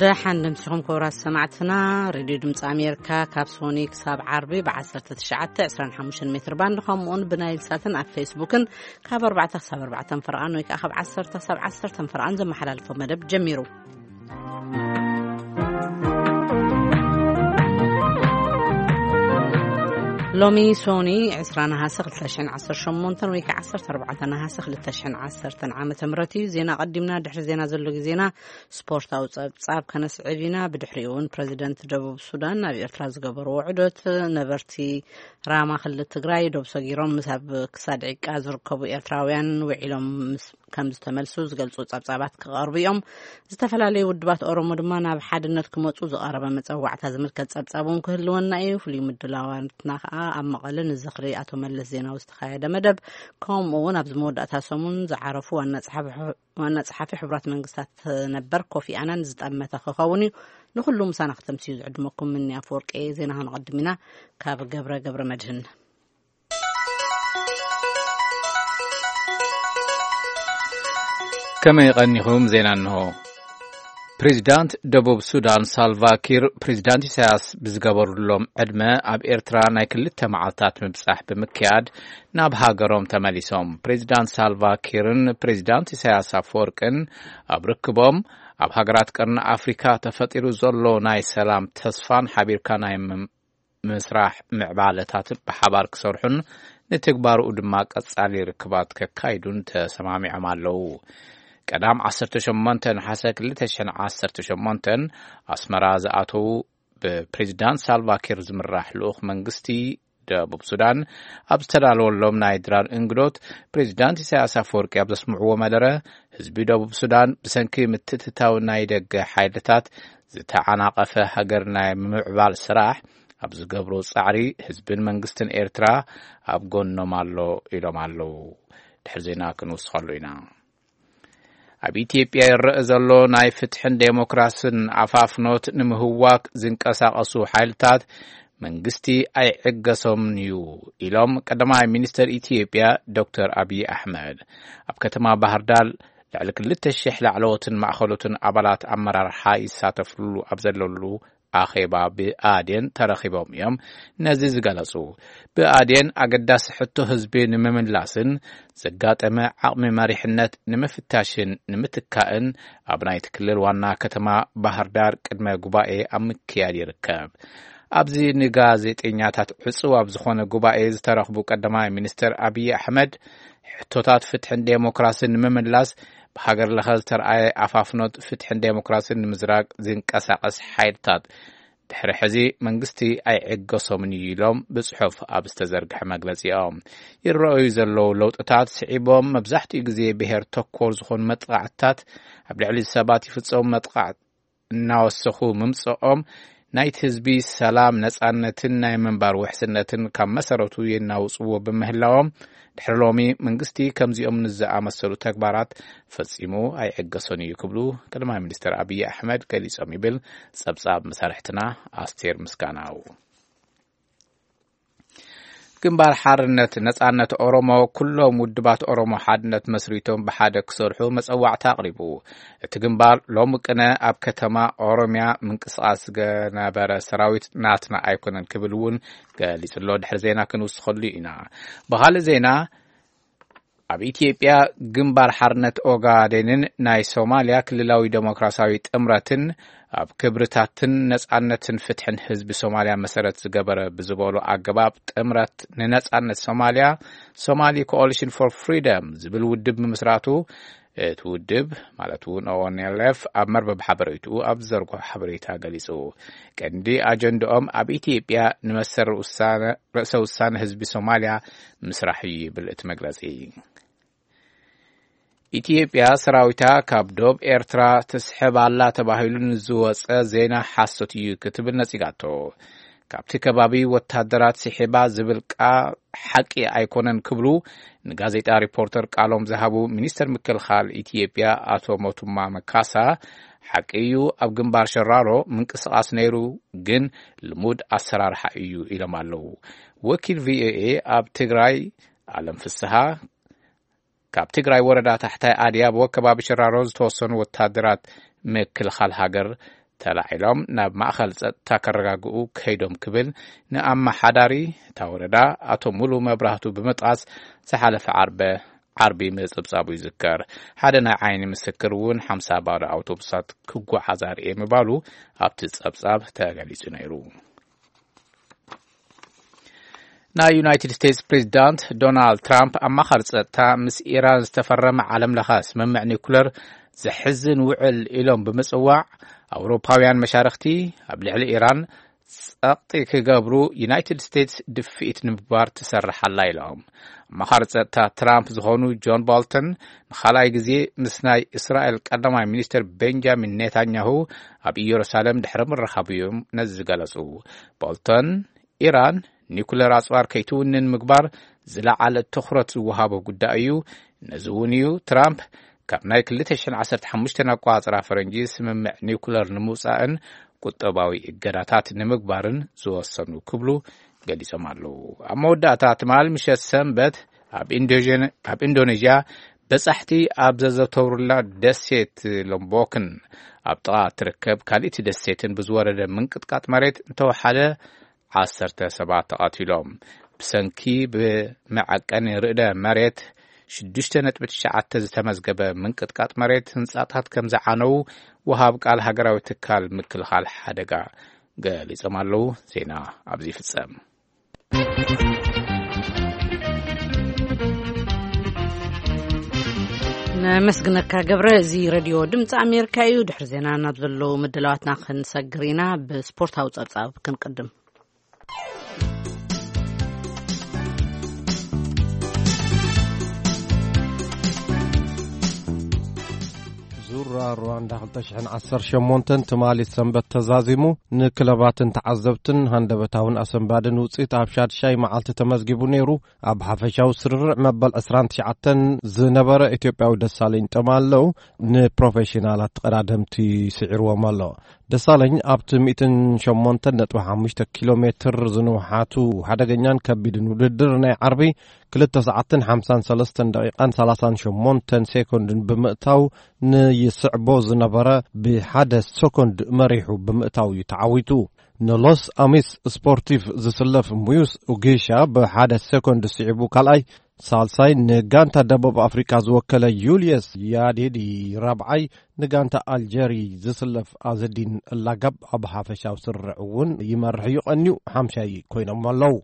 ደሓን ደምሲኹም ክቡራት ሰማዕትና። ሬድዮ ድምፂ ኣሜሪካ ካብ ሶኒ ክሳብ ዓርቢ ብ19 25 ሜትር ባንድ፣ ከምኡውን ብናይል ሳትን ኣብ ፌስቡክን ካብ ኣርባዕተ ክሳብ ኣርባዕተ ፈርቓን ወይ ከዓ ካብ ዓሰርተ ክሳብ ዓሰርተ ፈርቓን ዘመሓላልፎ መደብ ጀሚሩ። ሎሚ ሶኒ ዕስራ ነሃሰ ክልተ ሽሕን ዓሰርተ ሸሞንተን ወይ ከዓ ዓሰርተ ኣርባዕተ ነሃሰ ክልተ ሽሕን ዓሰርተን ዓመተ ምህረት እዩ። ዜና ቀዲምና፣ ድሕሪ ዜና ዘሎ ግዜና ስፖርታዊ ጸብጻብ ከነስዕብ ኢና። ብድሕሪኡ እውን ፕረዚደንት ደቡብ ሱዳን ናብ ኤርትራ ዝገበርዎ ውዕዶት፣ ነበርቲ ራማ ክልል ትግራይ ዶብ ሰጊሮም ምስ ኣብ ክሳድ ዒቃ ዝርከቡ ኤርትራውያን ውዒሎም ምስ ከም ዝተመልሱ ዝገልጹ ጸብጻባት ክቐርቡ እዮም። ዝተፈላለዩ ውድባት ኦሮሞ ድማ ናብ ሓድነት ክመጹ ዝቐረበ መጸዋዕታ ዝምልከት ጸብጻብ እውን ክህልወና እዩ። ፍሉይ ምድላዋትና ከኣ ኣብ መቐለ ንዝኽሪ ኣቶ መለስ ዜናዊ ዝተኻየደ መደብ፣ ከምኡ እውን ኣብዚ መወዳእታ ሰሙን ዝዓረፉ ዋና ጸሓፊ፣ ዋና ጸሓፊ ሕቡራት መንግስታት ነበር ኮፊ ኣናን ዝጠመተ ክኸውን እዩ። ንኹሉ ምሳና ክተምስዩ ዝዕድመኩም ምኒ ኣፈወርቂ። ዜና ክንቐድም ኢና ካብ ገብረ ገብረ መድህን። ከመይ ቀኒኹም? ዜና እንሆ። ፕሬዚዳንት ደቡብ ሱዳን ሳልቫ ኪር ፕሬዚዳንት ኢሳያስ ብዝገበሩሎም ዕድመ ኣብ ኤርትራ ናይ ክልተ መዓልታት ምብጻሕ ብምክያድ ናብ ሃገሮም ተመሊሶም። ፕሬዚዳንት ሳልቫ ኪርን ፕሬዚዳንት ኢሳያስ ኣፈወርቅን ኣብ ርክቦም ኣብ ሃገራት ቀርኒ ኣፍሪካ ተፈጢሩ ዘሎ ናይ ሰላም ተስፋን ሓቢርካ ናይ ምም-፣ ምስራሕ ምዕባለታት ብሓባር ክሰርሑን ንትግባርኡ ድማ ቀጻሊ ርክባት ከካይዱን ተሰማሚዖም ኣለዉ። ቀዳም ዓሰርተ ሸሞንተ ነሓሰ ክልተ ሽሕን ዓሰርተ ሸሞንተን ኣስመራ ዝኣተዉ ብፕሬዚዳንት ሳልቫኪር ዝምራሕ ልኡኽ መንግስቲ ደቡብ ሱዳን ኣብ ዝተዳለወሎም ናይ ድራር እንግዶት፣ ፕሬዚዳንት ኢሳያስ ኣፈወርቂ ኣብ ዘስምዕዎ መደረ፣ ህዝቢ ደቡብ ሱዳን ብሰንኪ ምትእትታው ናይ ደገ ሓይልታት ዝተዓናቐፈ ሃገር ናይ ምምዕባል ስራሕ ኣብ ዝገብሮ ጻዕሪ፣ ህዝብን መንግስትን ኤርትራ ኣብ ጎኖም ኣሎ ኢሎም ኣለዉ። ድሕሪ ዜና ክንውስኸሉ ኢና። ኣብ ኢትዮጵያ ይረአ ዘሎ ናይ ፍትሕን ዴሞክራስን ኣፋፍኖት ንምህዋክ ዝንቀሳቐሱ ሓይልታት መንግስቲ ኣይዕገሶምን እዩ ኢሎም ቀዳማይ ሚኒስተር ኢትዮጵያ ዶክተር ኣብይ ኣሕመድ። ኣብ ከተማ ባህር ዳር ልዕሊ ክልተ ሺሕ ላዕለዎትን ማእኸሎትን ኣባላት ኣመራርሓ ይሳተፍሉ ኣብ ዘለሉ ኣኼባ ብኣዴን ተረኺቦም እዮም ነዚ ዝገለጹ። ብኣዴን ኣገዳሲ ሕቶ ህዝቢ ንምምላስን ዘጋጠመ ዓቕሚ መሪሕነት ንምፍታሽን ንምትካእን ኣብ ናይቲ ክልል ዋና ከተማ ባህር ዳር ቅድመ ጉባኤ ኣብ ምክያድ ይርከብ። ኣብዚ ንጋዜጠኛታት ዕጹው ኣብ ዝኾነ ጉባኤ ዝተረኽቡ ቀዳማይ ሚኒስተር ኣብይ ኣሕመድ፣ ሕቶታት ፍትሕን ዴሞክራስን ንምምላስ ብሃገር ለኸ ዝተርኣየ ኣፋፍኖት ፍትሕን ዴሞክራስን ንምዝራግ ዝንቀሳቐስ ሓይልታት ድሕሪ ሕዚ መንግስቲ ኣይዕገሶምን እዩ ኢሎም ብጽሑፍ ኣብ ዝተዘርግሐ መግለጺኦም። ይረኣዩ ዘለዉ ለውጥታት ስዒቦም መብዛሕትኡ ግዜ ብሄር ተኮር ዝኾኑ መጥቃዕትታት ኣብ ልዕሊ ሰባት ይፍጸሙ መጥቃዕት እናወሰኹ ምምጽኦም ናይቲ ህዝቢ ሰላም፣ ነጻነትን ናይ ምንባር ውሕስነትን ካብ መሰረቱ የናውጽዎ ብምህላዎም፣ ድሕሪ ሎሚ መንግስቲ ከምዚኦም ንዝኣመሰሉ ተግባራት ፈጺሙ ኣይዕገሶን እዩ ክብሉ ቀዳማይ ሚኒስትር ኣብይ ኣሕመድ ገሊጾም ይብል ጸብጻብ መሳርሕትና ኣስቴር ምስጋናው። ግንባር ሓርነት ነጻነት ኦሮሞ ኩሎም ውድባት ኦሮሞ ሓድነት መስሪቶም ብሓደ ክሰርሑ መጸዋዕታ ኣቕሪቡ። እቲ ግንባር ሎሚ ቅነ ኣብ ከተማ ኦሮሚያ ምንቅስቓስ ገነበረ ሰራዊት ናትና ኣይኮነን ክብል እውን ገሊጹ ኣሎ። ድሕሪ ዜና ክንውስኸሉ ኢና። ብኻልእ ዜና፣ ኣብ ኢትዮጵያ ግንባር ሓርነት ኦጋዴንን ናይ ሶማልያ ክልላዊ ዴሞክራሲያዊ ጥምረትን ኣብ ክብርታትን ነጻነትን ፍትሕን ህዝቢ ሶማልያ መሰረት ዝገበረ ብዝበሉ ኣገባብ ጥምረት ንነጻነት ሶማልያ፣ ሶማሊ ኮኦሊሽን ፎር ፍሪደም ዝብል ውድብ ምምስራቱ እቲ ውድብ ማለት እውን ኦኤንኤልኤፍ ኣብ መርበብ ሓበሬትኡ ኣብ ዝዘርግሖ ሓበሬታ ገሊጹ። ቀንዲ ኣጀንድኦም ኣብ ኢትዮጵያ ንመሰል ውሳነ፣ ርእሰ ውሳነ ህዝቢ ሶማልያ ምስራሕ እዩ ይብል እቲ መግለጺ። ኢትዮጵያ ሰራዊታ ካብ ዶብ ኤርትራ ትስሕብ ኣላ ተባሂሉ ንዝወጸ ዜና ሓሶት እዩ ክትብል ነጺጋቶ። ካብቲ ከባቢ ወታደራት ስሒባ ዝብል ቃ-፣ ሓቂ ኣይኮነን ክብሉ ንጋዜጣ ሪፖርተር ቃሎም ዝሃቡ ሚኒስተር ምክልኻል ኢትዮጵያ ኣቶ ሞቱማ መካሳ፣ ሓቂ እዩ ኣብ ግንባር ሸራሮ ምንቅስቓስ ነይሩ፣ ግን ልሙድ ኣሰራርሓ እዩ ኢሎም ኣለዉ። ወኪል ቪኦኤ ኣብ ትግራይ ኣለም ፍስሃ ካብ ትግራይ ወረዳ ታሕታይ ኣድያቦ ከባቢ ሽራሮ ዝተወሰኑ ወታደራት ምክልኻል ሃገር ተላዒሎም ናብ ማእኸል ጸጥታ ከረጋግኡ ከይዶም ክብል ንኣመሓዳሪ እታ ወረዳ ኣቶ ሙሉ መብራህቱ ብምጥቃስ ዝሓለፈ ዓርበ ዓርቢ ምጽብጻቡ ይዝከር። ሓደ ናይ ዓይኒ ምስክር እውን ሓምሳ ባዶ ኣውቶቡሳት ክጓዓዛ ርኤ ምባሉ ኣብቲ ጸብጻብ ተገሊጹ ነይሩ። ናይ ዩናይትድ ስቴትስ ፕሬዚዳንት ዶናልድ ትራምፕ ኣማኻሪ ጸጥታ ምስ ኢራን ዝተፈረመ ዓለም ለኸ ስምምዕ ኒኩለር ዘሕዝን ውዕል ኢሎም ብምጽዋዕ ኣውሮፓውያን መሻርኽቲ ኣብ ልዕሊ ኢራን ጸቕጢ ክገብሩ ዩናይትድ ስቴትስ ድፍኢት ንምግባር ትሰርሕ ኣላ ኢሎም። ኣማኻሪ ጸጥታ ትራምፕ ዝኾኑ ጆን ቦልተን ንኻልኣይ ግዜ ምስ ናይ እስራኤል ቀዳማይ ሚኒስትር ቤንጃሚን ኔታንያሁ ኣብ ኢየሩሳሌም ድሕሪ ምርኻቡ እዮም ነዚ ዝገለጹ። ቦልተን ኢራን ኒኩለር ኣጽዋር ከይትውንን ምግባር ዝለዓለ ትኹረት ዝወሃቦ ጉዳይ እዩ። ነዚ እውን እዩ ትራምፕ ካብ ናይ ክልተ ሽሕን ዓሰርተ ሓሙሽተን ኣቋጽራ ፈረንጂ ስምምዕ ኒኩለር ንምውጻእን ቁጠባዊ እገዳታት ንምግባርን ዝወሰኑ ክብሉ ገሊጾም ኣለዉ። ኣብ መወዳእታ ትማል ምሸት ሰንበት ኣብ ኢንዶዥን-፣ ኣብ ኢንዶኔዥያ በጻሕቲ ኣብ ዘዘተውሩላ ደሴት ሎምቦክን ኣብ ጥቓ ትርከብ ካልእቲ ደሴትን ብዝወረደ ምንቅጥቃጥ መሬት እንተወሓደ ዓሰርተ ሰባት ተቐቲሎም። ብሰንኪ ብመዐቀኒ ርዕደ መሬት ሽዱሽተ ነጥቢ ትሽዓተ ዝተመዝገበ ምንቅጥቃጥ መሬት ህንጻታት ከም ዝዓነዉ ወሃብ ቃል ሃገራዊ ትካል ምክልኻል ሓደጋ ገሊጾም ኣለዉ። ዜና ኣብዚ ይፍጸም። ነመስግነካ ገብረ። እዚ ሬድዮ ድምፂ ኣሜሪካ እዩ። ድሕሪ ዜና ናብ ዘለዉ ምድላዋትና ክንሰግር ኢና። ብስፖርታዊ ጸብጻብ ክንቅድም። ዙራ ሩዋንዳ ክልተ ሽሕን ዓሰርተ ሸሞንተን ትማሊ ሰንበት ተዛዚሙ ንክለባትን ተዓዘብትን ሃንደበታውን ኣሰንባድን ውፅኢት ኣብ ሻድሻይ መዓልቲ ተመዝጊቡ ነይሩ። ኣብ ሓፈሻዊ ስርርዕ መበል ዕስራን ትሽዓተን ዝነበረ ኢትዮጵያዊ ደሳለኝ ጠማለው ንፕሮፌሽናላት ተቐዳደምቲ ስዒርዎም ኣሎ። ደሳለኝ ኣብቲ ሚእትን ሸሞንተን ነጥቢ ሓሙሽተ ኪሎ ሜትር ዝንውሓቱ ሓደገኛን ከቢድን ውድድር ናይ ዓርቢ ክልተ ሰዓትን ሓምሳን ሰለስተን ደቂቓን ሰላሳን ሸሞንተን ሴኮንድን ብምእታው ንይስዕቦ ዝነበረ ብሓደ ሰኮንድ መሪሑ ብምእታው እዩ ተዓዊቱ። ንሎስ ኣሚስ ስፖርቲቭ ዝስለፍ ሙዩስ ኡጌሻ ብሓደ ሴኮንድ ስዒቡ ካልኣይ፣ ሳልሳይ ንጋንታ ደቡብ ኣፍሪካ ዝወከለ ዩልየስ ያዴዲ ራብዓይ፣ ንጋንታ ኣልጀሪ ዝስለፍ ኣዘዲን ላጋብ ኣብ ሓፈሻዊ ስርርዕ እውን ይመርሕ እዩ ቀንዩ ሓምሻይ ኮይኖም ኣለዉ።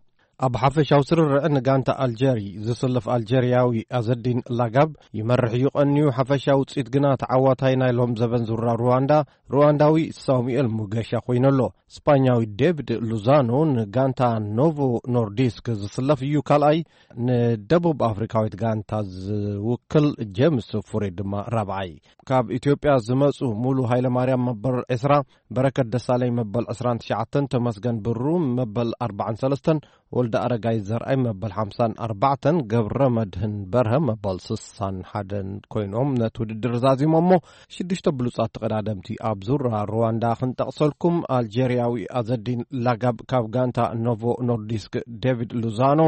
ኣብ ሓፈሻዊ ስርርዕ ንጋንታ ኣልጀሪ ዝስለፍ ኣልጀርያዊ ኣዘዲን ላጋብ ይመርሕ እዩ ቀንዩ ሓፈሻዊ ውፅኢት ግና ተዓዋታይ ናይ ሎም ዘበን ዙራ ሩዋንዳ ሩዋንዳዊ ሳሙኤል ሙገሻ ኮይኑ ኣሎ። ስፓኛዊ ዴቪድ ሉዛኖ ንጋንታ ኖቮ ኖርዲስክ ዝስለፍ እዩ ካልኣይ፣ ንደቡብ ኣፍሪካዊት ጋንታ ዝውክል ጄምስ ፉሬ ድማ ራብዓይ። ካብ ኢትዮጵያ ዝመፁ ሙሉ ሃይለማርያም መበል ዕስራ፣ በረከት ደሳለኝ መበል ዕስራን ትሽዓተን፣ ተመስገን ብሩ መበል ኣርባዓን ሰለስተን፣ ወልደ ኣረጋይ ዘርኣይ መበል ሓምሳን ኣርባዕተን፣ ገብረ መድህን በርሀ መበል ስሳን ሓደን ኮይኖም ነቲ ውድድር ዛዚሞሞ። ሽዱሽተ ብሉጻት ተቐዳደምቲ ኣብ ዙራ ሩዋንዳ ክንጠቕሰልኩም፣ ኣልጀርያዊ ኣዘዲን ላጋብ ካብ ጋንታ ኖቮ ኖርዲስክ፣ ዴቪድ ሉዛኖ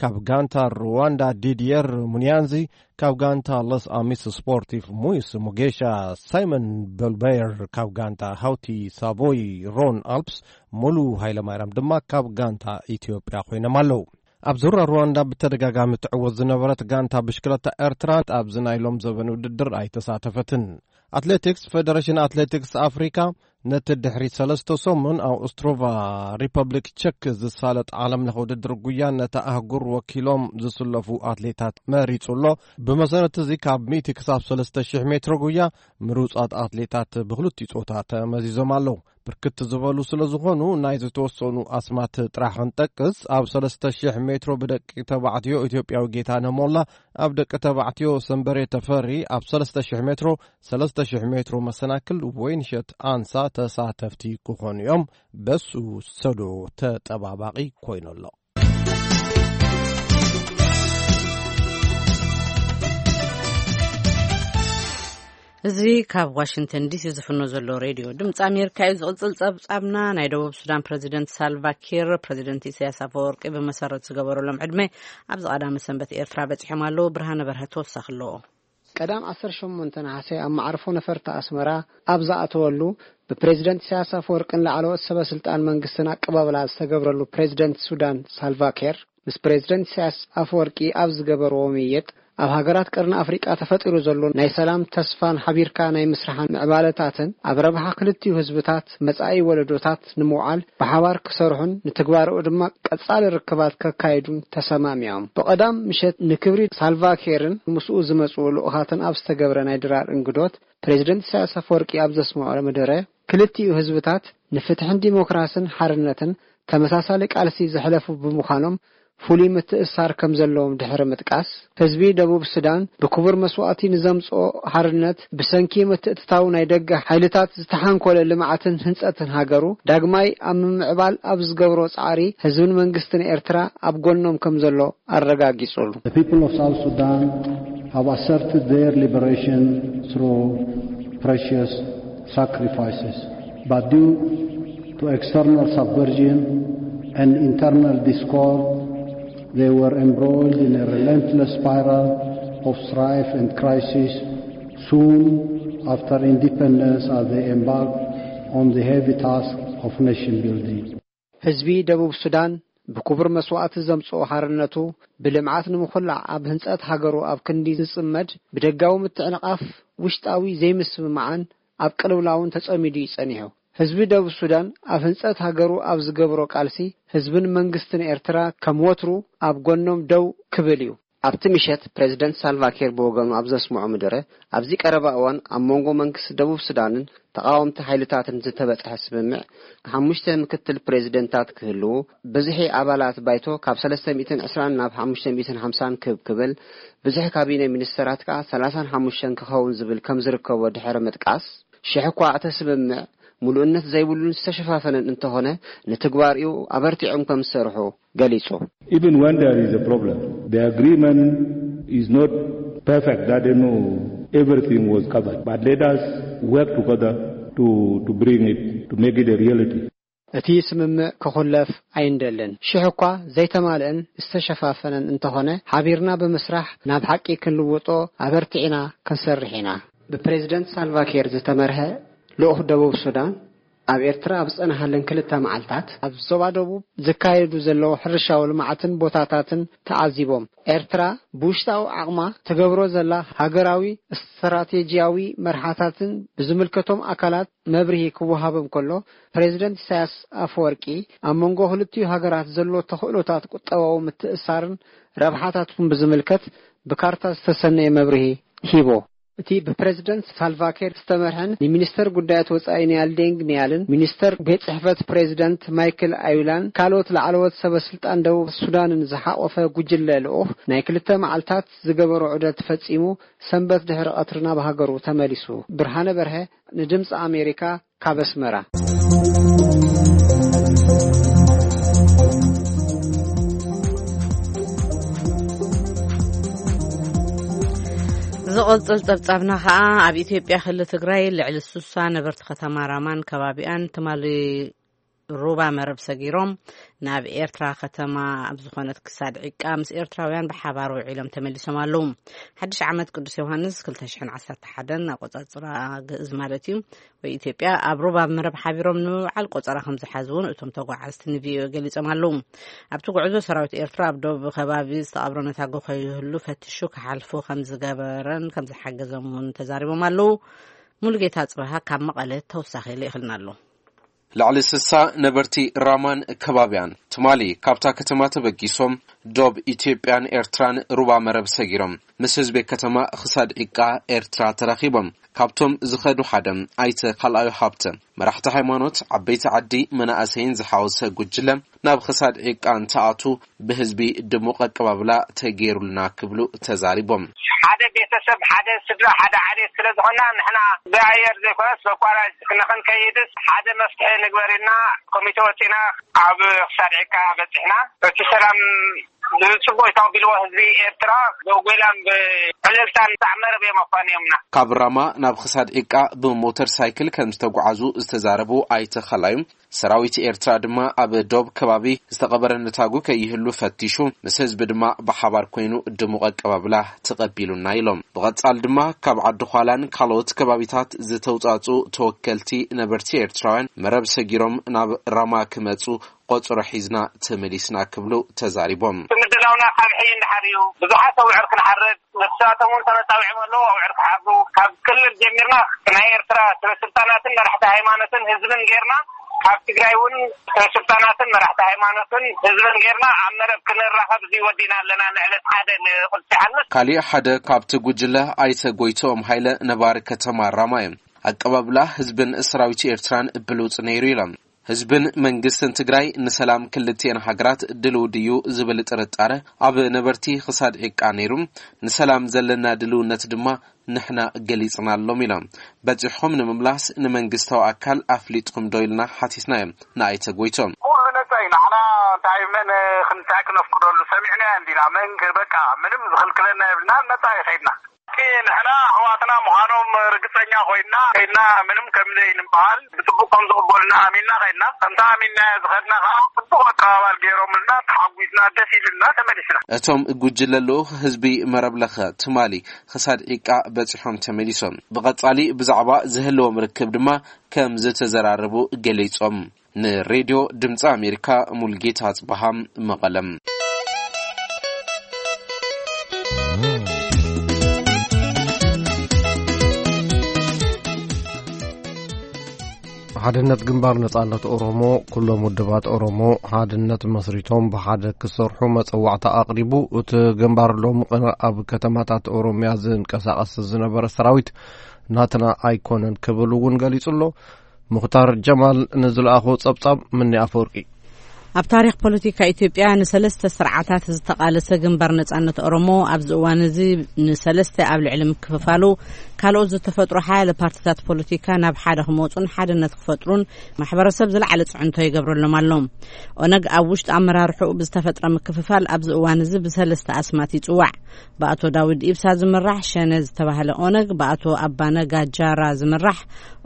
ካብ ጋንታ ሩዋንዳ፣ ዲድየር ሙኒያንዚ ካብ ጋንታ ለስ ኣሚስ ስፖርቲቭ፣ ሙይስ ሙጌሻ፣ ሳይመን በልበየር ካብ ጋንታ ሃውቲ ሳቮይ፣ ሮን ኣልፕስ፣ ሙሉ ሃይለማርያም ድማ ካብ ጋንታ ኢትዮጵያ ኮይኖም ኣለዉ። ኣብ ዙራ ሩዋንዳ ብተደጋጋሚ ትዕወት ዝነበረት ጋንታ ብሽክለታ ኤርትራ ኣብዚ ናይ ሎም ዘበን ውድድር ኣይተሳተፈትን። ኣትሌቲክስ፣ ፌደሬሽን ኣትሌቲክስ ኣፍሪካ ነቲ ድሕሪ ሰለስተ ሰሙን ኣብ ኦስትሮቫ ሪፐብሊክ ቸክ ዝሳለጥ ዓለም ለኸ ውድድር ጉያ ነታ ኣህጉር ወኪሎም ዝስለፉ ኣትሌታት መሪጹ ኣሎ። ብመሰረት እዚ ካብ ሚእቲ ክሳብ ሰለስተ ሽሕ ሜትሮ ጉያ ምሩጻት ኣትሌታት ብክልቲኡ ጾታ ተመዚዞም ኣለዉ። ብርክት ዝበሉ ስለ ዝኾኑ ናይ ዝተወሰኑ ኣስማት ጥራሕ ክንጠቅስ፣ ኣብ ሰለስተ ሽሕ ሜትሮ ብደቂ ተባዕትዮ ኢትዮጵያዊ ጌታነህ ሞላ፣ ኣብ ደቂ ተባዕትዮ ሰንበሬ ተፈሪ፣ ኣብ ሰለስተ ሽሕ ሜትሮ፣ ሰለስተ ሽሕ ሜትሮ መሰናክል ወይንሸት ኣንሳ ተሳተፍቲ ክኾኑ እዮም። በሱ ሰዶ ተጠባባቒ ኮይኑ ኣሎ። እዚ ካብ ዋሽንግተን ዲሲ ዝፍኖ ዘሎ ሬድዮ ድምፂ ኣሜሪካ እዩ። ዝቕፅል ፀብፃብና፣ ናይ ደቡብ ሱዳን ፕሬዚደንት ሳልቫ ኪር ፕሬዚደንት ኢሳያስ ኣፈወርቂ ብመሰረት ዝገበረሎም ዕድመ ኣብዚ ቀዳመ ሰንበት ኤርትራ በፂሖም ኣለዉ። ብርሃነ በርሀ ተወሳኺ ኣለዎ። ቀዳም ዓሰርተ ሸሞንተ ነሓሰ ኣብ መዓርፎ ነፈርቲ ኣስመራ ኣብ ዝኣተወሉ፣ ብፕሬዚደንት ኢሳያስ ኣፈወርቅን ላዕለዎት ሰበ ስልጣን መንግስትን ኣቀባብላ ዝተገብረሉ ፕሬዚደንት ሱዳን ሳልቫ ኪር፣ ምስ ፕሬዚደንት ኢሳያስ ኣፈወርቂ ኣብ ዝገበርዎ ምይይጥ፣ ኣብ ሃገራት ቀርኒ ኣፍሪቃ ተፈጢሩ ዘሎ ናይ ሰላም ተስፋን ሓቢርካ ናይ ምስራሕን ምዕባለታትን ኣብ ረብሓ ክልቲኡ ህዝብታት መጻኢ ወለዶታት ንምውዓል ብሓባር ክሰርሑን ንትግባረኡ ድማ ቀጻሊ ርክባት ከካይዱን ተሰማሚዖም። ብቐዳም ምሸት ንክብሪ ሳልቫ ኪርን ምስኡ ዝመጽኡ ልኡኻትን ኣብ ዝተገብረ ናይ ድራር እንግዶት፣ ፕሬዚደንት ኢሳያስ ኣፈወርቂ ኣብ ዘስምዖ መደረ፣ ክልቲኡ ህዝብታት ንፍትሕን ዲሞክራስን ሓርነትን ተመሳሳሊ ቃልሲ ዘሕለፉ ብምዃኖም፣ ፍሉይ ምትእስሳር ከም ዘለዎም ድሕሪ ምጥቃስ፣ ህዝቢ ደቡብ ሱዳን ብክቡር መስዋእቲ ንዘምጽኦ ሓርነት፣ ብሰንኪ ምትእትታው ናይ ደገ ሓይልታት ዝተሓንኮለ ልምዓትን ህንጸትን ሃገሩ ዳግማይ ኣብ ምምዕባል ኣብ ዝገብሮ ጻዕሪ፣ ህዝብን መንግስትን ኤርትራ ኣብ ጎኖም ከም ዘሎ ኣረጋጊጹሉ። The people of South Sudan have asserted their liberation through precious sacrifices, but due to external subversion and internal discord, they were embroiled in a relentless spiral of strife and crisis. Soon after independence, as they embarked on the heavy task of nation building. ህዝቢ ደቡብ ሱዳን ብክቡር መስዋእቲ ዘምጽኦ ሓርነቱ፣ ብልምዓት ንምኹላዕ ኣብ ህንጸት ሃገሩ ኣብ ክንዲ ዝጽመድ፣ ብደጋዊ ምትዕንቓፍ፣ ውሽጣዊ ዘይምስምማዕን ኣብ ቅልውላውን ተጸሚዱ እዩ ጸኒሑ። ህዝቢ ደቡብ ሱዳን ኣብ ህንጸት ሃገሩ ኣብ ዝገብሮ ቃልሲ፣ ህዝብን መንግስትን ኤርትራ ከም ወትሩ ኣብ ጎኖም ደው ክብል እዩ። ኣብቲ ምሸት ፕሬዚደንት ሳልቫ ኪር ብወገኑ ኣብ ዘስምዖ መደረ፣ ኣብዚ ቀረባ እዋን ኣብ መንጎ መንግስቲ ደቡብ ሱዳንን ተቓወምቲ ሓይልታትን ዝተበጽሐ ስምምዕ፣ ሓሙሽተ ምክትል ፕሬዚደንታት ክህልዉ፣ ብዝሒ ኣባላት ባይቶ ካብ ሰለስተ ሚእትን ዕስራን ናብ ሓሙሽተ ሚእትን ሓምሳን ክብ ክብል፣ ብዝሒ ካቢነ ሚኒስተራት ከኣ ሰላሳን ሓሙሽተን ክኸውን ዝብል ከም ዝርከቦ ድሕሪ ምጥቃስ፣ ሽሕ እኳ እቲ ስምምዕ ምሉእነት ዘይብሉን ዝተሸፋፈነን እንተኾነ፣ ንትግባሪኡ ኣበርቲዖም ከም ዝሰርሑ ገሊጹ። Even when there is a problem, the agreement is not perfect, that you know everything was covered. But let us work together to, to bring it, to make it a reality. እቲ ስምምዕ ክኹለፍ ኣይንደልን። ሽሕ እኳ ዘይተማልእን ዝተሸፋፈነን እንተኾነ፣ ሓቢርና ብምስራሕ ናብ ሓቂ ክንልውጦ ኣበርቲዕና ክንሰርሕ ኢና። ብፕሬዚደንት ሳልቫ ኪር ዝተመርሐ ልኡኽ ደቡብ ሱዳን ኣብ ኤርትራ ኣብ ዝጸንሓለን ክልተ መዓልታት፣ ኣብ ዞባ ደቡብ ዝካየዱ ዘለዉ ሕርሻዊ ልምዓትን ቦታታትን ተዓዚቦም። ኤርትራ ብውሽጣዊ ዓቕማ ትገብሮ ዘላ ሃገራዊ ስትራቴጂያዊ መርሓታትን ብዝምልከቶም ኣካላት መብርሂ ክወሃቦም ከሎ፣ ፕሬዚደንት ኢሳያስ ኣፈወርቂ ኣብ መንጎ ክልቲኡ ሃገራት ዘሎ ተኽእሎታት ቁጠባዊ ምትእስሳርን ረብሓታቱን ብዝምልከት ብካርታ ዝተሰነየ መብርሂ ሂቦ። እቲ ብፕሬዚደንት ሳልቫ ኪር ዝተመርሐን ንሚኒስተር ጉዳያት ወጻኢ ኒያል ዴንግ ኒያልን ሚኒስተር ቤት ጽሕፈት ፕሬዚደንት ማይክል ኣዩላን ካልኦት ላዕለዎት ሰበ ስልጣን ደቡብ ሱዳንን ዝሓቖፈ ጉጅለ ልኡኽ ናይ ክልተ መዓልታት ዝገበሮ ዑደት ፈጺሙ፣ ሰንበት ድሕሪ ቀትሪ ናብ ሃገሩ ተመሊሱ። ብርሃነ በርሀ ንድምፂ ኣሜሪካ ካብ ኣስመራ። ዝቕጽል ጸብጻብና ኸኣ፣ ኣብ ኢትዮጵያ ክልል ትግራይ ልዕሊ ሱሳ ነበርቲ ከተማ ራማን ከባቢኣን ትማሊ ሩባ መረብ ሰጊሮም ናብ ኤርትራ ከተማ ኣብ ዝኾነት ክሳድ ዒቃ ምስ ኤርትራውያን ብሓባር ውዒሎም ተመሊሶም ኣለዉ። ሓድሽ ዓመት ቅዱስ ዮሃንስ ክልተ ሽሕን ዓሰርተ ሓደን ኣቆጻጽራ ግእዝ ማለት እዩ፣ ወይ ኢትዮጵያ፣ ኣብ ሩባ መረብ ሓቢሮም ንምውዓል ቆጸራ ከም ዝሓዙ እውን እቶም ተጓዓዝቲ ንቪኦኤ ገሊጾም ኣለዉ። ኣብቲ ጉዕዞ ሰራዊት ኤርትራ ኣብ ደቡብ ከባቢ ዝተቐብረ ነታጉ ከይህሉ ፈቲሹ ክሓልፉ ከም ዝገበረን ከም ዝሓገዞም እውን ተዛሪቦም ኣለዉ። ሙሉጌታ ጽበሃ ካብ መቐለ ተወሳኺ ልኢኽልና ኣሎ። ልዕሊ ስሳ ነበርቲ ራማን ከባቢያን ትማሊ ካብታ ከተማ ተበጊሶም ዶብ ኢትዮጵያን ኤርትራን ሩባ መረብ ሰጊሮም ምስ ህዝቢ ከተማ ክሳድ ዒቃ ኤርትራ ተራኺቦም። ካብቶም ዝኸዱ ሓደ ኣይተ ካልኣዩ ሃብተ፣ መራሕቲ ሃይማኖት፣ ዓበይቲ ዓዲ፣ መናእሰይን ዝሓወሰ ጉጅለ ናብ ክሳድ ዒቃ እንትኣቱ ብህዝቢ ድሙቕ ኣቀባብላ ተገይሩልና ክብሉ ተዛሪቦም። ሓደ ቤተሰብ፣ ሓደ ስድራ፣ ሓደ ዓሌት ስለ ዝኾንና ንሕና ብኣየር ዘይኮነስ በኳራጅ ንኽንከይድስ ሓደ መፍትሒ ንግበር ኢልና ኮሚቴ ወፂና ኣብ ክሳድ ዒቃ በፂሕና። እቲ ሰላም ብጽቡቅ ተቐቢልዎ ህዝቢ ኤርትራ ብጎይላን ብዕልልታን ሳዕ መረብ እዮም ኣፋንዮምና። ካብ ራማ ናብ ክሳድ ዒቃ ብሞተር ሳይክል ከም ዝተጓዓዙ ዝተዛረቡ ኣይተ ኻላዩ፣ ሰራዊት ኤርትራ ድማ ኣብ ዶብ ከባቢ ዝተቐበረ ነታጉ ከይህሉ ፈቲሹ፣ ምስ ህዝቢ ድማ ብሓባር ኮይኑ ድሙቕ ኣቀባብላ ተቐቢሉና ኢሎም። ብቐጻል ድማ ካብ ዓዲ ዃላን ካልኦት ከባቢታት ዝተውጻጹ ተወከልቲ ነበርቲ ኤርትራውያን መረብ ሰጊሮም ናብ ራማ ክመጹ ቆጽሮ ሒዝና ተመሊስና ክብሉ ተዛሪቦም። እቲ ምድላውና ካብ ሕይ እንድሓር እዩ። ብዙሓት ኣውዕር ክንሓርድ፣ ንሳቶም እውን ተመጻዊዖም ኣለዉ። ኣውዕር ክሓርዱ ካብ ክልል ጀሚርና ናይ ኤርትራ ስበስልጣናትን መራሕቲ ሃይማኖትን ህዝብን ጌርና፣ ካብ ትግራይ እውን ስበስልጣናትን መራሕቲ ሃይማኖትን ህዝብን ጌርና ኣብ መረብ ክንራኸብ እዚ ወዲና ኣለና። ንዕለት ሓደ ንቁልሲ ሓልፍ። ካሊእ ሓደ ካብቲ ጉጅለ ኣይተ ጎይትኦም ሃይለ ነባሪ ከተማ ራማ እዮም። ኣቀባብላ ህዝብን ሰራዊት ኤርትራን ብሉጽ ነይሩ ኢሎም። ህዝብን መንግስትን ትግራይ ንሰላም ክልቲኤን ሃገራት ድልው ድዩ ዝብል ጥርጣረ ኣብ ነበርቲ ክሳድ ዒቃ ነይሩ። ንሰላም ዘለና ድልውነት ድማ ንሕና ገሊጽናሎም ኢሎም። በጺሕኹም ንምምላስ ንመንግስታዊ ኣካል ኣፍሊጥኩም ዶ ኢልና ሓቲትና እዮም ንኣይተ ጎይቶም። ኩሉ ነጻ እዩ። ንሕና እንታይ መን ክንስዕክ ነፍቅደሉ ሰሚዕና እንዲና። መን በቃ ምንም ዝኽልክለና የብልና። ነጻ ይኸይድና። ንሕና ኣሕዋትና ምዃኖም ርግጸኛ ኮይና ከይድና፣ ምንም ከም ዘይንበሃል ብጽቡቕ ከም ዝቕበሉና ኣሚንና ከይድና። ከምታ ኣሚንና ዝኸድና ከዓ ጽቡቕ ኣቀባባል ገይሮምልና፣ ተሓጒስና፣ ደስ ኢሉና ተመሊስና። እቶም ጉጅለ ልኡኽ ህዝቢ መረብ ለኸ ትማሊ ክሳድ ዒቃ በጺሖም ተመሊሶም። ብቐጻሊ ብዛዕባ ዝህልዎም ርክብ ድማ ከም ዝተዘራረቡ ገሊጾም። ንሬድዮ ድምፂ ኣሜሪካ፣ ሙልጌታ ኣጽበሃ፣ መቐለም። ሓድነት ግንባር ነጻነት ኦሮሞ፣ ኩሎም ውድባት ኦሮሞ ሓድነት መስሪቶም ብሓደ ክሰርሑ መጸዋዕታ ኣቕሪቡ። እቲ ግንባር ሎሚ ቅነ ኣብ ከተማታት ኦሮምያ ዝንቀሳቐስ ዝነበረ ሰራዊት ናትና ኣይኮነን ክብል እውን ገሊጹ ኣሎ። ሙኽታር ጀማል ንዝለኣኾ ጸብጻብ ምኒ ኣፈወርቂ። ኣብ ታሪኽ ፖለቲካ ኢትዮጵያ ንሰለስተ ስርዓታት ዝተቓለሰ ግንባር ነጻነት ኦሮሞ ኣብዚ እዋን እዚ ንሰለስተ ኣብ ልዕሊ ምክፍፋሉ፣ ካልኦት ዝተፈጥሩ ሓያለ ፓርቲታት ፖለቲካ ናብ ሓደ ክመጹን ሓድነት ክፈጥሩን ማሕበረሰብ ዝለዓለ ጽዕንቶ ይገብረሎም ኣሎ። ኦነግ ኣብ ውሽጢ ኣመራርሕኡ ብዝተፈጥረ ምክፍፋል ኣብዚ እዋን እዚ ብሰለስተ ኣስማት ይጽዋዕ። ብኣቶ ዳውድ ኢብሳ ዝምራሕ ሸነ ዝተባህለ ኦነግ፣ ብኣቶ ኣባነጋ ጃራ ዝምራሕ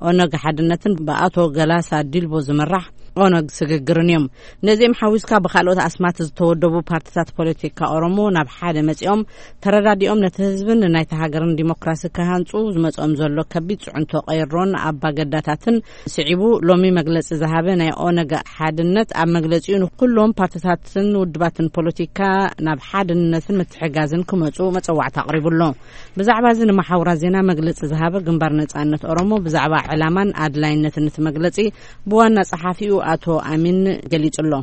ኦነግ ሓድነትን ብኣቶ ገላሳ ዲልቦ ዝምራሕ ኦነግ ስግግርን እዮም። ነዚኦም ሓዊስካ ብካልኦት ኣስማት ዝተወደቡ ፓርቲታት ፖለቲካ ኦሮሞ ናብ ሓደ መጺኦም ተረዳዲኦም ነቲ ህዝብን ናይቲ ሃገርን ዲሞክራሲ ክሃንጹ ዝመጽኦም ዘሎ ከቢድ ጽዕንቶ ቀይሮን ኣባገዳታትን ስዒቡ ሎሚ መግለጺ ዝሃበ ናይ ኦነግ ሓድነት ኣብ መግለጺኡ ንኩሎም ፓርቲታትን ውድባትን ፖለቲካ ናብ ሓድነትን ምትሕጋዝን ክመጹ መጸዋዕታ ኣቕሪቡ ኣሎ። ብዛዕባ እዚ ንመሓውራ ዜና መግለጺ ዝሃበ ግንባር ነጻነት ኦሮሞ ብዛዕባ ዕላማን ኣድላይነትን እቲ መግለጺ ብዋና ጸሓፊኡ ኣቶ ኣሚን ገሊጹ ኣሎ።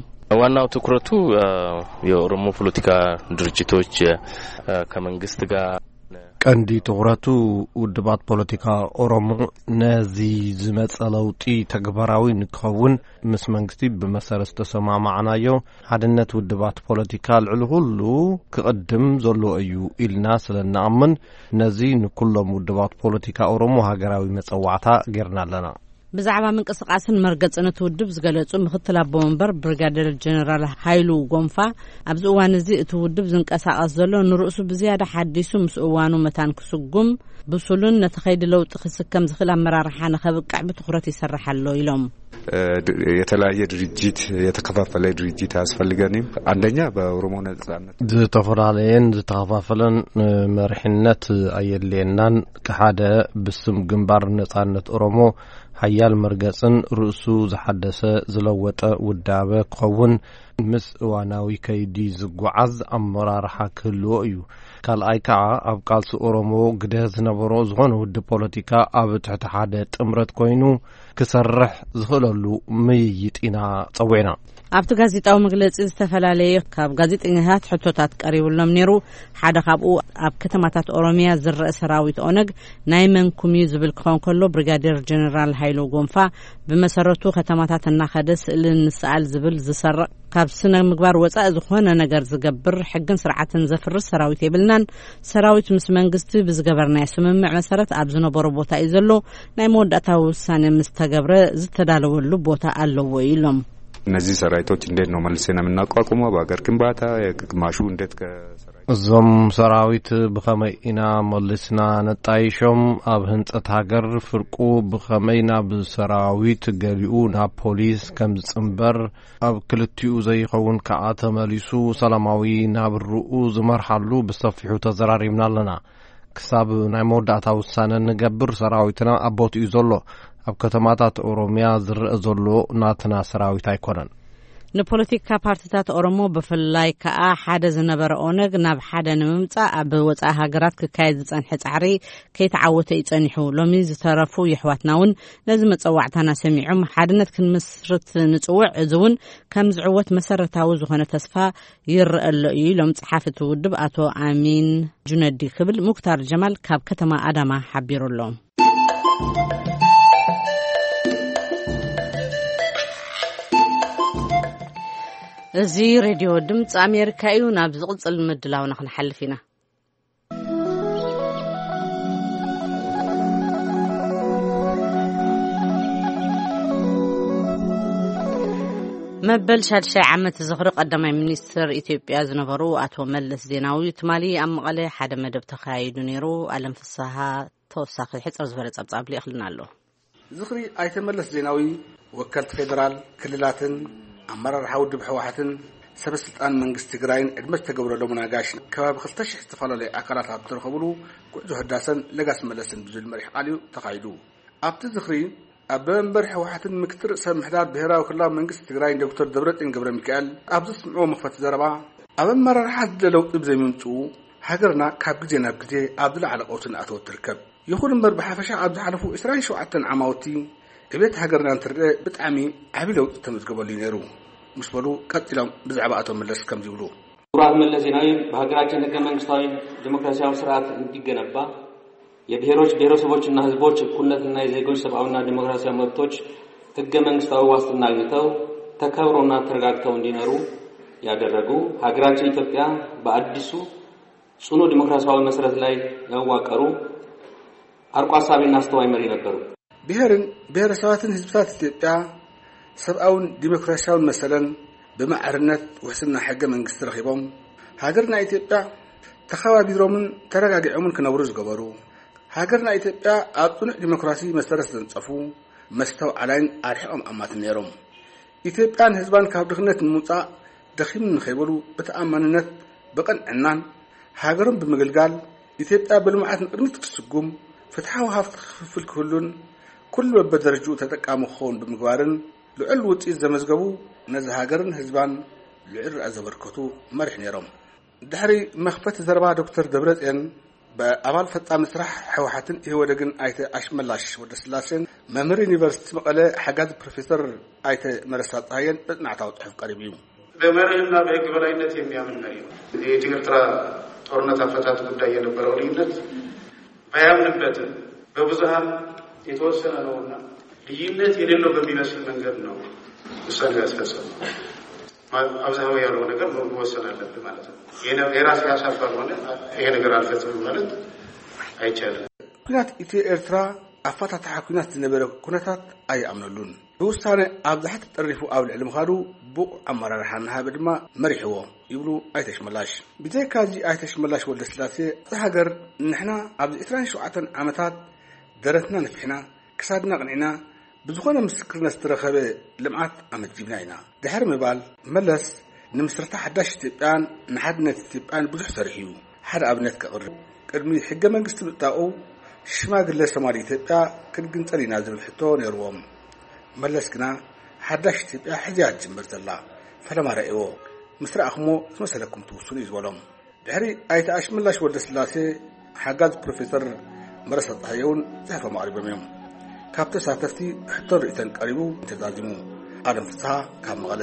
ዋናው ትኩረቱ የኦሮሞ ፖለቲካ ድርጅቶች ከመንግስት ጋር ቀንዲ ትኹረቱ ውድባት ፖለቲካ ኦሮሞ ነዚ ዝመጸ ለውጢ ተግባራዊ ንክኸውን ምስ መንግስቲ ብመሰረት ዝተሰማማዕናዮ ሓድነት ውድባት ፖለቲካ ልዕሊ ኩሉ ክቕድም ዘለዎ እዩ ኢልና ስለ እንኣምን ነዚ ንኩሎም ውድባት ፖለቲካ ኦሮሞ ሃገራዊ መጸዋዕታ ጌርና ኣለና። ብዛዕባ ምንቅስቃስን መርገጽን እቲ ውድብ ዝገለጹ ምክትል ኣቦ ወንበር ብሪጋደር ጀነራል ሃይሉ ጎንፋ፣ ኣብዚ እዋን እዚ እቲ ውድብ ዝንቀሳቐስ ዘሎ ንርእሱ ብዝያዳ ሓዲሱ ምስ እዋኑ መታን ክስጉም ብሱልን ነቲ ከይዲ ለውጢ ክስከም ዝኽእል ኣመራርሓ ንኸብቅዕ ብትኹረት ይሰርሕ ኣሎ ኢሎም። የተለያየ ድርጅት፣ የተከፋፈለ ድርጅት አያስፈልገንም። አንደኛ በኦሮሞ ነጻነት ዝተፈላለየን ዝተኸፋፈለን መሪሕነት ኣየድልየናን። ሓደ ብስም ግንባር ነጻነት ኦሮሞ ሓያል መርገጽን ርእሱ ዝሓደሰ ዝለወጠ ውዳበ ክኸውን ምስ እዋናዊ ከይዲ ዝጓዓዝ ኣመራርሓ ክህልዎ እዩ። ካልኣይ ከዓ ኣብ ቃልሲ ኦሮሞ ግደ ዝነበሮ ዝኾነ ውድብ ፖለቲካ ኣብ ትሕቲ ሓደ ጥምረት ኮይኑ ክሰርሕ ዝኽእለሉ ምይይጥ ኢና ጸዊዕና። ኣብቲ ጋዜጣዊ መግለጺ ዝተፈላለየ ካብ ጋዜጠኛታት ሕቶታት ቀሪብሎም ነይሩ። ሓደ ካብኡ ኣብ ከተማታት ኦሮሚያ ዝረአ ሰራዊት ኦነግ ናይ መንኩም እዩ ዝብል ክኸውን ከሎ፣ ብሪጋዴር ጀነራል ሃይሎ ጎንፋ ብመሰረቱ ከተማታት እናኸደ ስእሊ ንስኣል ዝብል ዝሰርቕ ካብ ስነ ምግባር ወጻኢ ዝኾነ ነገር ዝገብር ሕግን ስርዓትን ዘፍርስ ሰራዊት የብልናን። ሰራዊት ምስ መንግስቲ ብዝገበርናዮ ስምምዕ መሰረት ኣብ ዝነበሮ ቦታ እዩ ዘሎ። ናይ መወዳእታ ውሳኔ ምስ ተገብረ ዝተዳለወሉ ቦታ ኣለዎ ኢሎም። እነዚህ ሰራዊቶች እንዴት ነው መልሰን የምናቋቁመው? በሀገር ግንባታ ግማሹ እንዴት ከሰራዊት እዞም ሰራዊት ብኸመይ ኢና መሊስና ነጣይሾም? ኣብ ህንጸት ሃገር ፍርቁ ብኸመይ ናብ ሰራዊት፣ ገሊኡ ናብ ፖሊስ ከም ዝጽንበር፣ ኣብ ክልቲኡ ዘይኸውን ከኣ ተመሊሱ ሰላማዊ ናብርኡ ዝመርሓሉ ብሰፊሑ ተዘራሪብና ኣለና። ክሳብ ናይ መወዳእታ ውሳነ ንገብር ሰራዊትና ኣብ ቦትኡ ዘሎ። ኣብ ከተማታት ኦሮምያ ዝረአ ዘሎ ናትና ሰራዊት ኣይኮነን። ንፖለቲካ ፓርቲታት ኦሮሞ ብፍላይ ከኣ ሓደ ዝነበረ ኦነግ ናብ ሓደ ንምምጻእ ኣብ ወጻኢ ሃገራት ክካየድ ዝጸንሐ ጻዕሪ ከይተዓወተ እዩ ጸኒሑ። ሎሚ ዝተረፉ የሕዋትና እውን ነዚ መጸዋዕታና ሰሚዖም ሓድነት ክንምስርት ንጽውዕ። እዚ እውን ከም ዝዕወት መሰረታዊ ዝኾነ ተስፋ ይረአ ኣሎ እዩ ኢሎም ጸሓፊ እቲ ውድብ ኣቶ ኣሚን ጁነዲ ክብል ሙክታር ጀማል ካብ ከተማ ኣዳማ ሓቢሩ ኣሎ። እዚ ሬድዮ ድምፂ ኣሜሪካ እዩ። ናብ ዝቕፅል ምድላውና ክንሓልፍ ኢና። መበል ሻድሻይ ዓመት ዝኽሪ ቀዳማይ ሚኒስትር ኢትዮጵያ ዝነበሩ ኣቶ መለስ ዜናዊ ትማሊ ኣብ መቐለ ሓደ መደብ ተኻይዱ ነይሩ። ኣለም ፍስሃ ተወሳኺ ሕፅር ዝበለ ጸብጻብ ልኢኽልና ኣሎ። ዝኽሪ ኣይተ መለስ ዜናዊ፣ ወከልቲ ፌደራል፣ ክልላትን ኣመራርሓ ውድብ ህወሓትን ሰበ ስልጣን መንግስቲ ትግራይን ዕድመ ዝተገብረሎም ኣጋይሽ ከባቢ ክልተ ሺሕ ዝተፈላለዩ ኣካላት ኣብ ዝተረኸብሉ ጉዕዞ ህዳሰን ለጋስ መለስን ብዝብል መሪሕ ቃል እዩ ተኻይዱ። ኣብቲ ዝኽሪ ኣቦ መንበር ህወሓትን ምክትል ርእሰ ምምሕዳር ብሄራዊ ክልላዊ መንግስቲ ትግራይን ዶክተር ደብረፅዮን ገብረ ሚካኤል ኣብ ዘስምዕዎ መኽፈቲ ዘረባ፣ ኣብ ኣመራርሓ ዝለ ለውጢ ብዘይምምፅኡ ሃገርና ካብ ግዜ ናብ ግዜ ኣብ ዝለዓለ ቀውሲ እናኣተወት ትርከብ። ይኹን እምበር ብሓፈሻ ኣብ ዝሓለፉ ዕስራን ሸውዓተን ዓማውቲ ዕቤት ሃገርና እንትርእ ብጣዕሚ ዓብዪ ለውጢ ተመዝገበሉ እዩ ነይሩ ምስ በሉ ቀፂሎም ብዛዕባ ኣቶ መለስ ከምዚ ይብሉ። ክቡር ኣቶ መለስ ዜናዊ በሀገራችን ህገ መንግስታዊ ዲሞክራሲያዊ ስርዓት እንዲገነባ፣ የብሔሮች ብሔረሰቦችና ህዝቦች እኩልነትና የዜጎች ሰብአዊና ዲሞክራሲያዊ መብቶች ህገ መንግስታዊ ዋስትና አግኝተው ተከብረውና ተረጋግተው እንዲኖሩ ያደረጉ፣ ሀገራችን ኢትዮጵያ በአዲሱ ጽኑ ዲሞክራሲያዊ መሰረት ላይ ያዋቀሩ አርቆ አሳቢና አስተዋይ መሪ ነበሩ። ብሔርን ብሔረሰባትን ህዝብታት ኢትዮጵያ ሰብኣውን ዲሞክራሲያውን መሰለን ብማዕርነት ውሕስና ሕገ መንግስቲ ረኺቦም ሃገርና ኢትዮጵያ ተኸባቢሮምን ተረጋጊዖምን ክነብሩ ዝገበሩ፣ ሃገርና ኢትዮጵያ ኣብ ጽኑዕ ዲሞክራሲ መሰረት ዘንጸፉ፣ መስተውዓላይን ኣርሒቖም ኣማትን ነይሮም። ኢትዮጵያን ህዝባን ካብ ድኽነት ንምውጻእ ደኺሙ ንኸይበሉ ብተኣማንነት ብቕንዕናን ሃገሮም ብምግልጋል ኢትዮጵያ ብልምዓት ንቕድሚት ክትስጉም፣ ፍትሓዊ ሃፍቲ ክፍፍል ክህሉን ኩሉ በበደረጅኡ ተጠቃሚ ክኸውን ብምግባርን ልዑል ውጽኢት ዘመዝገቡ፣ ነዚ ሃገርን ህዝባን ልዑል ርኣ ዘበርከቱ መሪሕ ነይሮም። ድሕሪ መኽፈቲ ዘረባ ዶክተር ደብረጽዮን ብኣባል ፈጻሚ ስራሕ ህወሓትን ኢህወደግን ኣይተ ኣሽመላሽ ወደስላሴን መምህር ዩኒቨርሲቲ መቐለ ሓጋዚ ፕሮፌሰር ኣይተ መረሳ ጸሃየን መጽናዕታዊ ጽሑፍ ቀሪቡ እዩ። በመርህና በህግ በላይነት የሚያምን መሪ ነው። የኤርትራ ጦርነት አፈታት ጉዳይ የነበረው ልዩነት ባያምንበትም በብዙሃን የተወሰነ ነውና ልዩነት የሌለው በሚመስል መንገድ ነው ውሳኔ ያስፈጸመው። አብዛኛው ያለው ነገር መወሰን አለብህ ማለት ነው። የራሴ ሀሳብ ካልሆነ ይሄ ነገር አልፈጽምም ማለት አይቻልም። ኩናት ኢትዮ ኤርትራ ኣፈታትሓ ኩናት ዝነበረ ኩነታት ኣይኣምነሉን። ብውሳነ ኣብዝሓ ተጠሪፉ ኣብ ልዕሊ ምኻዱ ብቑዕ ኣመራርሓ እናሃበ ድማ መሪሕዎ ይብሉ ኣይተ ኣሽመላሽ። ብዘይካዚ ኣይተ ኣሽመላሽ ወልደስላሴ፣ እዛ ሃገር ንሕና ኣብዚ ዕስራን ሸውዓተን ዓመታት ደረትና ነፊሕና፣ ክሳድና ኣቕኒዕና፣ ብዝኾነ ምስክርነት ዝተረኸበ ልምዓት ኣመዝጊብና ኢና ድሕሪ ምባል፣ መለስ ንምስረታ ሓዳሽ ኢትዮጵያን ንሓድነት ኢትዮጵያን ብዙሕ ሰሪሑ እዩ። ሓደ ኣብነት ከቕርብ፣ ቅድሚ ሕገ መንግስቲ ምእጣቑ ሽማግለ ሰማሪ ኢትዮጵያ ክንግንጸል ኢና ዝብል ሕቶ ነይርዎም። መለስ ግና ሓዳሽ ኢትዮጵያ ሕዚ እያ ትጅምር ዘላ፣ ፈለማ ረእይዎ፣ ምስ ረኣኹሞ ዝመሰለኩም ትውስኑ እዩ ዝበሎም። ድሕሪ ኣይተ ኣሽመላሽ ወልደስላሴ ሓጋዝ ፕሮፌሰር መረሳ ጸሃየ እውን ጽሑፎም ኣቕሪቦም እዮም። ካብ ተሳተፍቲ ሕቶን ርእይቶን ቀሪቡ ተዛዚሙ። ኣለም ፍስሓ ካብ መቐለ።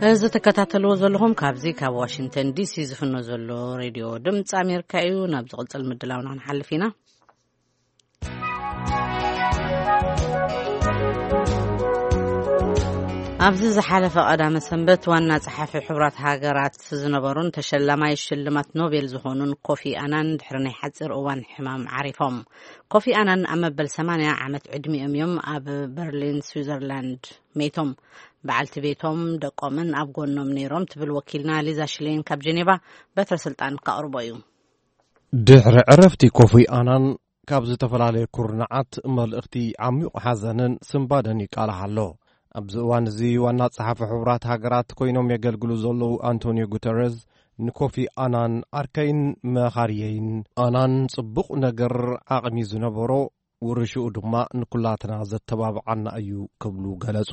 እዚ ትከታተልዎ ዘለኹም ካብዚ ካብ ዋሽንግተን ዲሲ ዝፍኖ ዘሎ ሬድዮ ድምፂ ኣሜሪካ እዩ። ናብ ዝቕጽል ምድላውና ክንሓልፍ ኢና። ኣብዚ ዝሓለፈ ቀዳመ ሰንበት ዋና ጸሓፊ ሕቡራት ሃገራት ዝነበሩን ተሸላማይ ሽልማት ኖቤል ዝኾኑን ኮፊ ኣናን ድሕሪ ናይ ሓጺር እዋን ሕማም ዓሪፎም። ኮፊ ኣናን ኣብ መበል ሰማንያ ዓመት ዕድሚኦም እዮም ኣብ በርሊን ስዊዘርላንድ ሜቶም። በዓልቲ ቤቶም ደቆምን ኣብ ጎኖም ነይሮም ትብል ወኪልና ሊዛ ሽሌን ካብ ጀኔቫ በትረ ስልጣን ካቕርቦ እዩ። ድሕሪ ዕረፍቲ ኮፊ ኣናን ካብ ዝተፈላለየ ኩርናዓት መልእኽቲ ዓሚቕ ሓዘንን ስንባደን ይቃላሕ ኣሎ። ኣብዚ እዋን እዚ ዋና ጸሓፊ ሕቡራት ሃገራት ኮይኖም የገልግሉ ዘለዉ ኣንቶኒዮ ጉተረዝ ንኮፊ ኣናን ዓርከይን መኻርየይን ኣናን ጽቡቕ ነገር ዓቕሚ ዝነበሮ ውርሽኡ ድማ ንኩላትና ዘተባብዓና እዩ ክብሉ ገለጹ።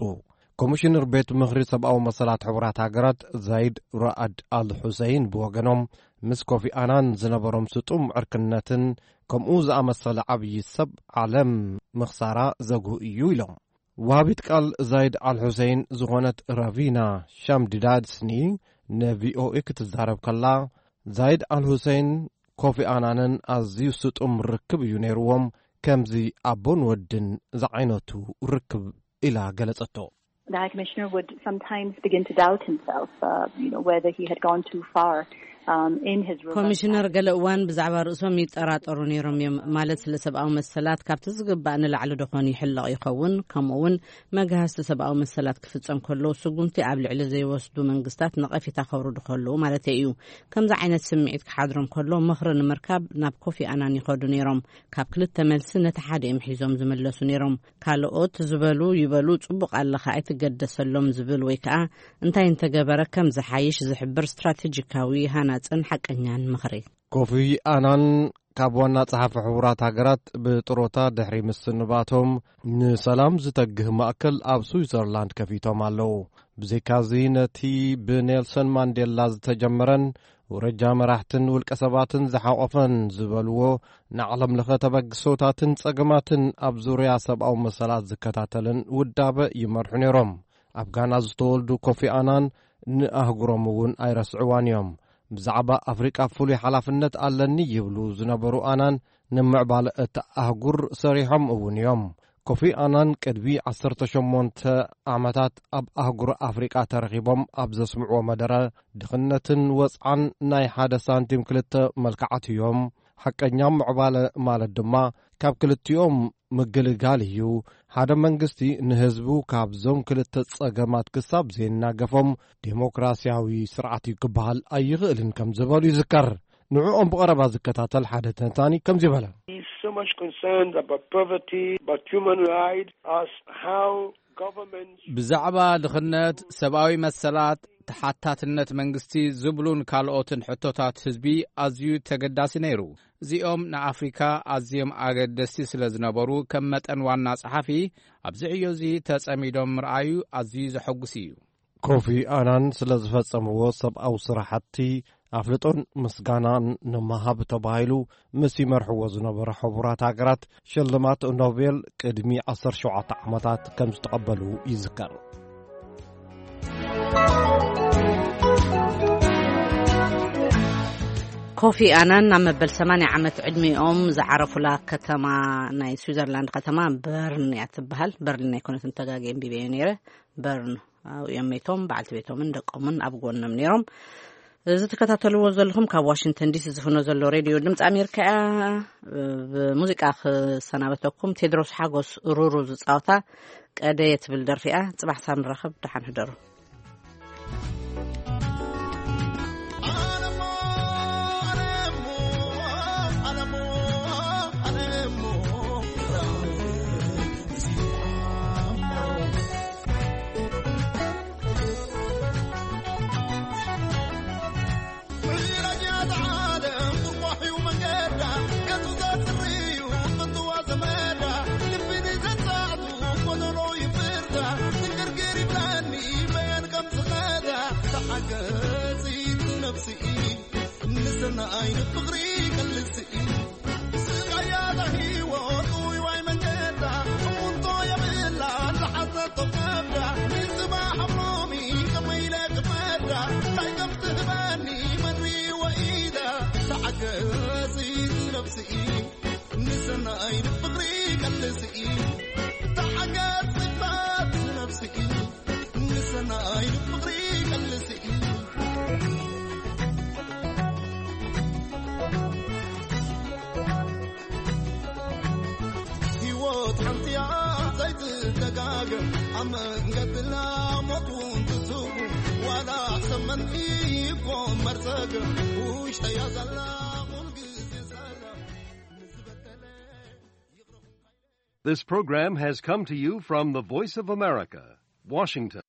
ኮሚሽነር ቤት ምኽሪ ሰብኣዊ መሰላት ሕቡራት ሃገራት ዛይድ ራኣድ ኣል ሑሰይን ብወገኖም ምስ ኮፊ ኣናን ዝነበሮም ስጡም ዕርክነትን ከምኡ ዝኣመሰለ ዓብዪ ሰብ ዓለም ምኽሳራ ዘጉህ እዩ ኢሎም። ወሃቢት ቃል ዛይድ ኣል ሑሰይን ዝኾነት ራቪና ሻምዲዳድስኒ ንቪኦኤ ክትዛረብ ከላ ዛይድ ኣል ሑሰይን ኮፊ ኣናንን ኣዝዩ ስጡም ርክብ እዩ ነይርዎም፣ ከምዚ ኣቦን ወድን ዝዓይነቱ ርክብ ኢላ ገለጸቶ። The High Commissioner would sometimes begin to doubt himself, uh, you know, whether he had gone too far um, in his robust ኮሚሽነር ገለ እዋን ብዛዕባ ርእሶም ይጠራጠሩ ነይሮም እዮም። ማለት ስለ ሰብኣዊ መሰላት ካብቲ ዝግባእ ንላዕሊ ደኾን ይሕለቕ ይኸውን፣ ከምኡ እውን መግሃስቲ ሰብኣዊ መሰላት ክፍጸም ከሎ ስጉምቲ ኣብ ልዕሊ ዘይወስዱ መንግስታት ነቐፌታ ከውርዱ ከለዉ ማለት እዩ። ከምዚ ዓይነት ስምዒት ክሓድሮም ከሎ ምኽሪ ንምርካብ ናብ ኮፊ ኣናን ይኸዱ ነይሮም። ካብ ክልተ መልሲ ነቲ ሓደ እዮም ሒዞም ዝምለሱ ነይሮም። ካልኦት ዝበሉ ይበሉ ጽቡቕ ኣለኻ ኣይትገደሰሎም ዝብል ወይ ከኣ እንታይ እንተገበረ ከም ዝሓይሽ ዝሕብር ስትራቴጂካዊ ሃናጽን ሓቀኛን ምኽሪ። ኮፊ ኣናን ካብ ዋና ጸሓፊ ሕቡራት ሃገራት ብጥሮታ ድሕሪ ምስንባቶም ንሰላም ዝተግህ ማእከል ኣብ ስዊዘርላንድ ከፊቶም ኣለዉ። ብዘይካዚ ነቲ ብኔልሰን ማንዴላ ዝተጀመረን ውረጃ መራሕትን ውልቀ ሰባትን ዝሓቖፈን ዝበልዎ ንዓለም ለኸ ተበግሶታትን ጸገማትን ኣብ ዙርያ ሰብኣዊ መሰላት ዝከታተልን ውዳበ ይመርሑ ነይሮም። ኣብ ጋና ዝተወልዱ ኮፊ ኣናን ንኣህጉሮም እውን ኣይረስዕዋን እዮም። ብዛዕባ ኣፍሪቃ ፍሉይ ሓላፍነት ኣለኒ ይብሉ ዝነበሩ ኣናን ንምዕባለ እታ ኣህጉር ሰሪሖም እውን እዮም። ኮፊ ኣናን ቅድሚ ዓሰርተ ሸሞንተ ዓመታት ኣብ ኣህጉር ኣፍሪቃ ተረኺቦም ኣብ ዘስምዕዎ መደረ ድኽነትን ወጽዓን ናይ ሓደ ሳንቲም ክልተ መልክዓት እዮም። ሓቀኛ ምዕባለ ማለት ድማ ካብ ክልቲኦም ምግልጋል እዩ። ሓደ መንግስቲ ንህዝቡ ካብዞም ክልተ ጸገማት ክሳብ ዘይናገፎም ዴሞክራሲያዊ ስርዓት እዩ ክበሃል ኣይኽእልን ከም ዝበሉ ይዝከር። ንዕኦም ብቐረባ ዝከታተል ሓደ ተንታኒ ከምዚ በለ። He's so much concerned about poverty, about human rights, as how governments ብዛዕባ ድኽነት፣ ሰብኣዊ መሰላት፣ ተሓታትነት መንግስቲ ዝብሉን ካልኦትን ሕቶታት ህዝቢ ኣዝዩ ተገዳሲ ነይሩ። እዚኦም ንኣፍሪካ ኣዝዮም ኣገደስቲ ስለ ዝነበሩ ከም መጠን ዋና ጸሓፊ ኣብዚ ዕዮ እዚ ተጸሚዶም ምርኣዩ ኣዝዩ ዘሐጉስ እዩ። ኮፊ ኣናን ስለ ዝፈጸምዎ ሰብኣዊ ስራሕቲ ኣፍልጦን ምስጋናን ንምሃብ ተባሂሉ ምስ ይመርሕዎ ዝነበረ ሕቡራት ሃገራት ሽልማት ኖቤል ቅድሚ ዓሰርተ ሸውዓተ ዓመታት ከም ዝተቐበሉ ይዝከር። ኮፊ ኣናን ኣብ መበል ሰማንያ ዓመት ዕድሚኦም ዝዓረፉላ ከተማ ናይ ስዊዘርላንድ ከተማ በርን እያ ትበሃል። በርሊን ኣይኮነትን፣ ተጋግየ ኣንቢበዮ ነይረ። በርን ኣብኡ እዮም ሜቶም፣ በዓልቲ ቤቶምን ደቆምን ኣብ ጎኖም ነይሮም። እዚ ትከታተልዎ ዘለኹም ካብ ዋሽንግተን ዲሲ ዝፍኖ ዘሎ ሬድዮ ድምፂ ኣሜሪካ እያ። ብሙዚቃ ክሰናበተኩም ቴድሮስ ሓጎስ ሩሩ ዝፃወታ ቀደየ ትብል ደርፊ እያ። ፅባሕ ሳብ ንራኸብ፣ ደሓን ሕደሩ። ንሰናይ ንፍቕሪ ይገልጽ እዩ። ስቓያ ሂወት ውይዋይ መንገዳ እሙንቶ የብላ ዝሓዘቶ ከብዳ ንጽባሕ ኣብ ሎሚ ከመይ ኢለ ክፈዳ እንታይ ከም ትህበኒ መን ሪወ ኢለ ተዓገጺ ነብሲ እዩ። ንሰናይ ንፍቕሪ ይገልጽ እዩ። ተዓገጺ ነብሲ እዩ። ኣብ መንገድና ሞት እውን ትስጉ ዋላ ሰመንቲ ይኮን መርፀግ ውሽጠያ ዘላ ኩልግዜ ሰላም ንዝበደለ This program has come to you from the Voice of America, Washington.